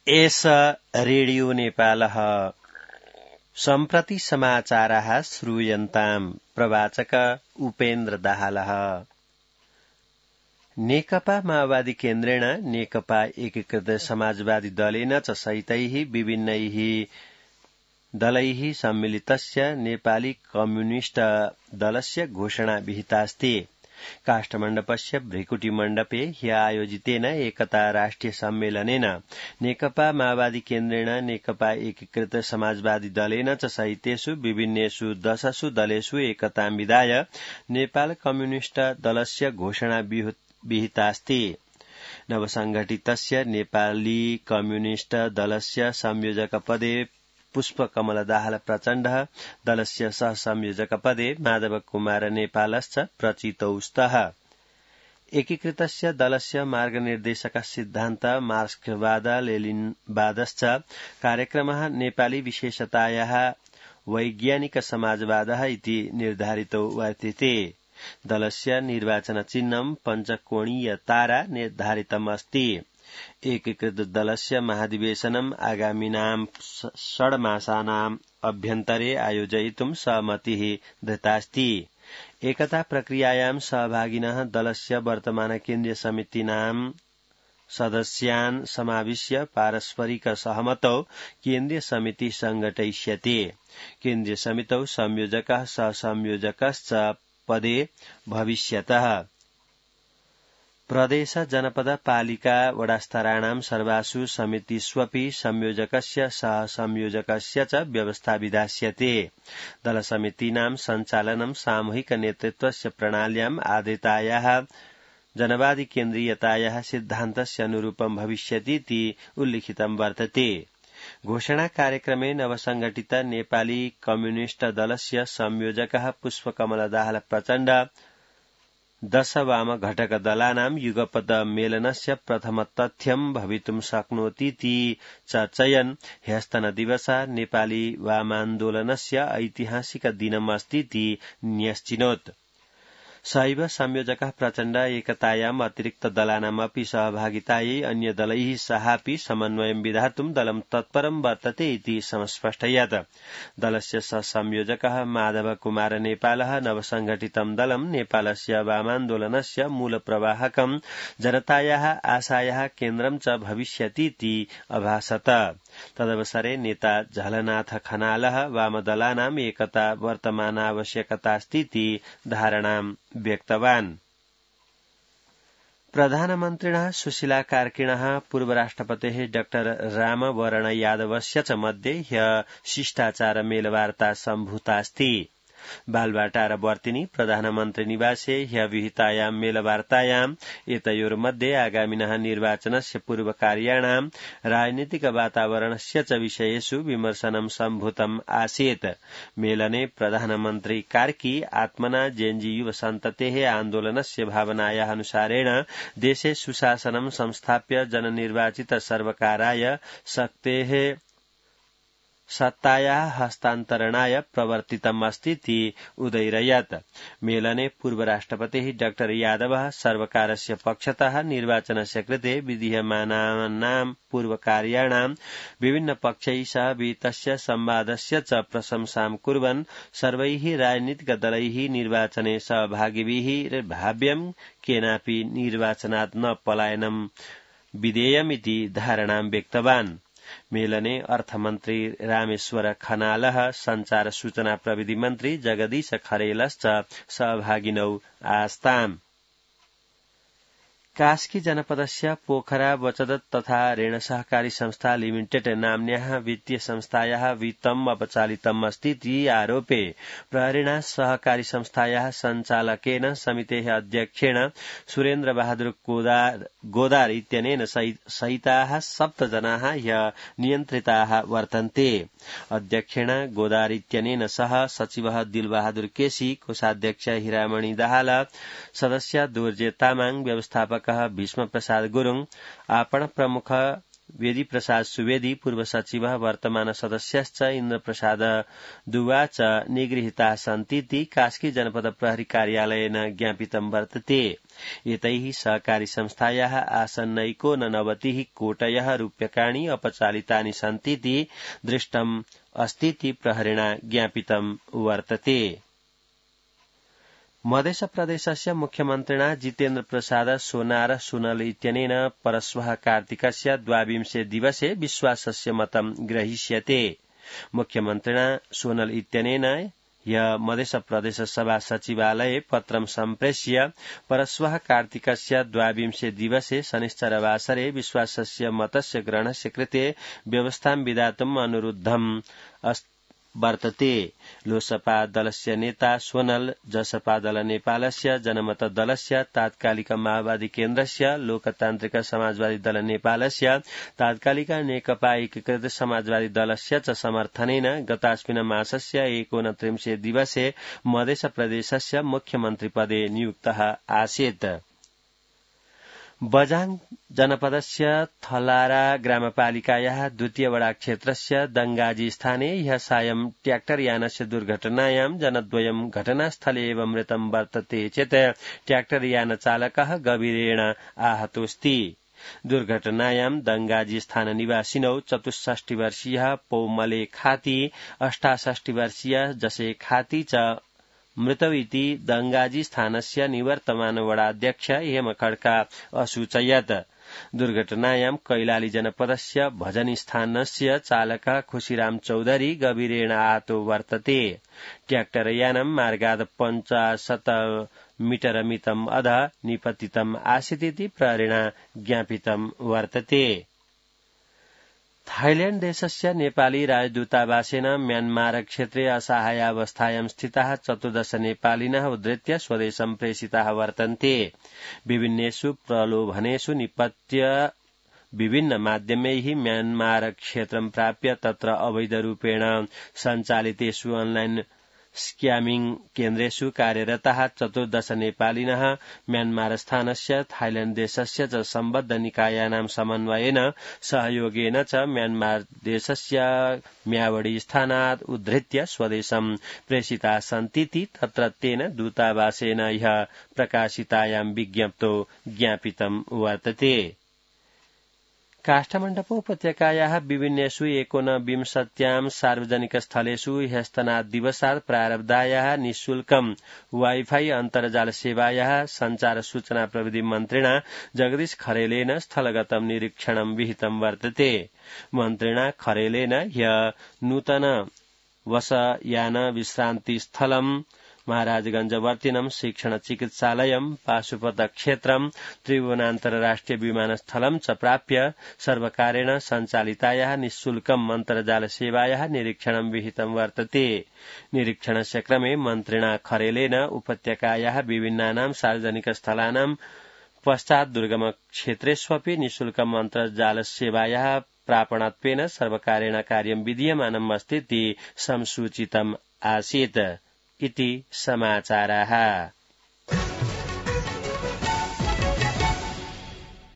एष रेडियो नेपालः सम्प्रति समाचाराः श्रूयन्ताम् प्रवाचक उपेन्द्र दाहालः। नेकपा माओवादी केन्द्रेण नेकपा एकीकृत समाजवादी दलेन च सहितैः विभिन्नैः दलैः सम्मिलितस्य नेपाली कम्युनिस्ट दलस्य घोषणा विहितास्ति। काष्ठमण्डपस्य भृकुटिमण्डपे ह्य आयोजितेन एकता राष्ट्रिय सम्मेलनेन नेकपा माओवादी केन्द्रेण नेकपा एकीकृत समाजवादी दलेन च सहितेषु विभिन्नेषु 10 दलेषु एकतां विधाय नेपाल कम्युनिस्ट दलस्य घोषणा विहितास्ति। नवसंघटितस्य नेपाली कम्युनिस्ट दलस्य संयोजकपदे पुष्पकमल दाहाल प्रचण्डः, दलस्य सहसंयोजकपदे माधव कुमार नेपालश्च प्रचितौ स्तः। एकीकृतस्य दलस्य मार्गनिर्देशक सिद्धान्त मार्क्सवाद लेनिनवादश्च कार्यक्रमः नेपाली विशेषतायाः वैज्ञानिक समाजवादः इति निर्धारितो वर्तते। दलस्य निर्वाचनचिह्नं पञ्चकोणीय तारा निर्धारितमस्ति। एकीकृत दलस्य महाधिवेशनम् आगामिनां षड्मासानाम् अभ्यन्तरे आयोजयितुं सहमतिः दत्तास्ति। एकता प्रक्रियायां सहभागिनः दलस्य वर्तमान केन्द्रीय समितीनां सदस्यान् समाविश्य पारस्परिक सहमतौ केन्द्रीय समिति संघटयिष्यते। केन्द्रीय समितौ संयोजकः सहसंयोजकश्च पदे भविष्यतः। प्रदेश जनपद पालिका वडास्तराणां सर्वासु समितिष्वपि संयोजकस्य सहसंयोजकस्य च व्यवस्था विधास्यते। दलसमितीनां सञ्चालनं सामूहिक नेतृत्वस्य प्रणाल्याम् आदृतायाः जनवादी केन्द्रीयतायाः सिद्धान्तस्य अनुरूपं भविष्यतीति उल्लिखितं वर्तते। घोषणा कार्यक्रमे नवसंघटित नेपाली कम्युनिस्ट दलस्य संयोजकः पुष्पकमल दाहाल प्रचण्ड 10 वाम घटक दलानां युगपद मेलनस्य प्रथम तथ्यं भवितुं शक्नोतीति चर्चयन् ह्यस्तनदिवसः नेपाली वामान्दोलनस्य ऐतिहासिक दिनमस्तीति न्यश्चिनोत्। सैव संयोजकः प्रचण्ड एकतायाम् अतिरिक्त दलानामपि सहभागितायै अन्य दलैः सहापि समन्वयं विधातुं दलं तत्परं वर्तते इति समस्पष्टयत्। दलस्य सहसंयोजकः माधव कुमार नेपालः नवसंघटितं दलं नेपालस्य वामान्दोलनस्य मूलप्रवाहकं जनतायाः आशायाः केन्द्रं च भविष्यतीति अभासत। तदवसरे नेता झलनाथ खनालः वामदलानाम् एकता वर्तमानावश्यकतास्तीति धारणाम् व्यक्तवान्। प्रधानमन्त्रिणः सुशीला कार्किणः पूर्वराष्ट्रपतेः डॉक्टर रामवरण यादवस्य च मध्ये ह्य शिष्टाचार मेलवार्ता सम्भूतास्ति। बालवाटारवर्तिनि प्रधानमन्त्री निवासे ह्य विहितायां मेलवार्तायाम् एतयोर्मध्ये आगामिनः निर्वाचनस्य पूर्वकार्याणां राजनीतिक वातावरणस्य च विषयेषु विमर्शनं सम्भूतम् आसीत्। मेलने प्रधानमन्त्री कार्की आत्मना जेएनजी युवसन्ततेः आन्दोलनस्य भावनायाः अनुसारेण देशे सुशासनं संस्थाप्य जननिर्वाचित सर्वकाराय सत्तायाः हस्तान्तरणाय प्रवर्तितम् अस्तीति उदयिरयत्। मेलने पूर्वराष्ट्रपतिः डॉक्टर यादवः सर्वकारस्य पक्षतः निर्वाचनस्य कृते विधीयमानानां पूर्वकार्याणां विभिन्न पक्षैः सह विहितस्य संवादस्य च प्रशंसां कुर्वन् सर्वैः राजनीतिक दलैः निर्वाचने सहभागिभिः भाव्यं केनापि निर्वाचनात् न पलायनं विधेयमिति धारणां व्यक्तवान्। मेलने अर्थमन्त्री रामेश्वर खनालः संचार सूचना प्रविधि मन्त्री जगदीश खरेलश्च सहभागिनौ आस्ताम्। कास्की जनपदस्य पोखरा बचत तथा ऋण सहकारी संस्था लिमिटेड नाम्न्याः वित्तीय संस्थायाः वित्तम् अपचालितम् अस्तीति आरोपे प्रहरिणा सहकारी संस्थायाः सञ्चालकेन समितेः अध्यक्षेण सुरेन्द्र बहादुर गोदार इत्यनेन सहिताः 7 जनाः ह्य नियन्त्रिताः वर्तन्ते। अध्यक्षेण गोदार इत्यनेन सह सचिवः दिलबहादुर केसी, कोषाध्यक्ष हिरामणि दाहाल, सदस्य दोर्जे तामाङ, व्यवस्थापक भीष्म प्रसाद गुरुङ, आपण प्रमुख वेदी प्रसाद सुवेदी पूर्व सचिवः वर्तमान सदस्यश्च इन्द्रप्रसाद दुवा च निगृहीताः सन्तीति कास्की जनपद प्रहरी कार्यालयेन ज्ञापितं वर्तते। एतैः सहकारी संस्थायाः आसन्नैकोननवतिः कोटयः रूप्यकाणि अपचालितानि सन्तीति दृष्टम् अस्तीति प्रहरिणा ज्ञापितं वर्तते। मध्य प्रदेशस्य मुख्यमन्त्रिणा जितेन्द्र प्रसाद सोनार सुनल इत्यनेन परश्वः कार्तिकस्य 12 दिवसे विश्वासस्य मतं ग्रहीष्यते। मुख्यमन्त्रिणा सोनल इत्यनेन ह्यः मध्य प्रदेश सभा सचिवालये पत्रं सम्प्रेष्य परश्वः कार्तिकस्य 12 दिवसे शनिश्चरवासरे विश्वासस्य मतस्य ग्रहणस्य कृते व्यवस्थां विधातुम् अनुरुद्धम् वर्तते। लोसपा दलस्य नेता सोनल जसपा दल नेपालस्य जनमत दलस्य तात्कालिक माओवादी केन्द्रस्य लोकतान्त्रिक समाजवादी दल नेपालस्य तात्कालिक नेकपा एकीकृत समाजवादी दलस्य च समर्थनेन गतास्मिन् मासस्य 29 दिवसे मध्य प्रदेशस्य मुख्यमन्त्रिपदे नियुक्तः आसीत्। बझाङ जनपदस्य थलारा ग्रामपालिकायाः 2 वडा क्षेत्रस्य दंगाजी स्थाने ह्यः सायं ट्र्याक्टरयानस्य दुर्घटनायां जनद्वयं घटनास्थले एव मृतं वर्तते चेत् ट्र्याक्टरयान चालकः गभीरेण आहतोऽस्ति। दुर्घटनायां दंगाजी स्थान निवासिनौ 64 वर्षीयः पौमले खाती, 68 वर्षीयः जसे खाती च मृतौ इति दंगाजी स्थानस्य निवर्तमान वडाध्यक्ष हेम खड्का असूचयत्। दुर्घटनायां कैलाली जनपदस्य भजनी स्थानस्य चालकः खुशीराम चौधरी गभीरेण आहतो वर्तते। ट्र्याक्टरयानं मार्गात् 50 मीटर मितम् अधः निपतितम् आसीदिति प्रहरिणा ज्ञापितं वर्तते। थाइल्याण्ड देशस्य नेपाली राजदूतावासेन म्यानमार क्षेत्रे असहायावस्थायां स्थिताः 14 नेपालिनः उद्धृत्य स्वदेशं प्रेषिताः वर्तन्ते। विभिन्नेषु प्रलोभनेषु निपत्य विभिन्न माध्यमैः म्यानमार क्षेत्रं प्राप्य तत्र अवैधरूपेण सञ्चालितेषु अनलाइन स्क्यामिंग केन्द्रेषु कार्यरताः 14 नेपालिनः म्यानमार स्थानस्य थाइल्याण्ड देशस्य च सम्बद्ध निकायानां समन्वयेन सहयोगेन च म्यानमार देशस्य म्यावडी स्थानात् उद्धृत्य स्वदेशं प्रेषिताः सन्तीति तत्रत्येन दूतावासेन ह्यः प्रकाशितायां विज्ञप्तौ ज्ञापितं वर्तते। काष्ठमण्डप उपत्यकायाः विभिन्नेषु 29 सार्वजनिक स्थलेषु ह्यस्तनादिवसात् प्रारब्धायाः निःशुल्कं वाईफाई अन्तर्जाल सेवायाः संचार सूचना प्रविधि मन्त्रिणा जगदीश खरेलेन स्थलगतं निरीक्षणं विहितं वर्तते। मन्त्रिणा खरेलेन ह्यः नूतन वसयान विश्रान्ति स्थलं महाराजगंजवर्तिनं शिक्षण चिकित्सालयं पाशुपत क्षेत्रं त्रिभुवनान्तरराष्ट्रिय विमानस्थलं च प्राप्य सर्वकारेण सञ्चालितायाः निःशुल्कम् अन्तर्जाल सेवायाः निरीक्षणं विहितं वर्तते। निरीक्षणस्य क्रमे मन्त्रिणा खरेलेन उपत्यकायाः विभिन्नानां सार्वजनिक स्थलानां पश्चात् दुर्गम क्षेत्रेष्वपि निःशुल्कम् अन्तर्जाल सेवायाः प्रापणत्वेन सर्वकारेण कार्यं विधीयमानम् अस्तीति संसूचितम् आसीत् इति समाचाराः।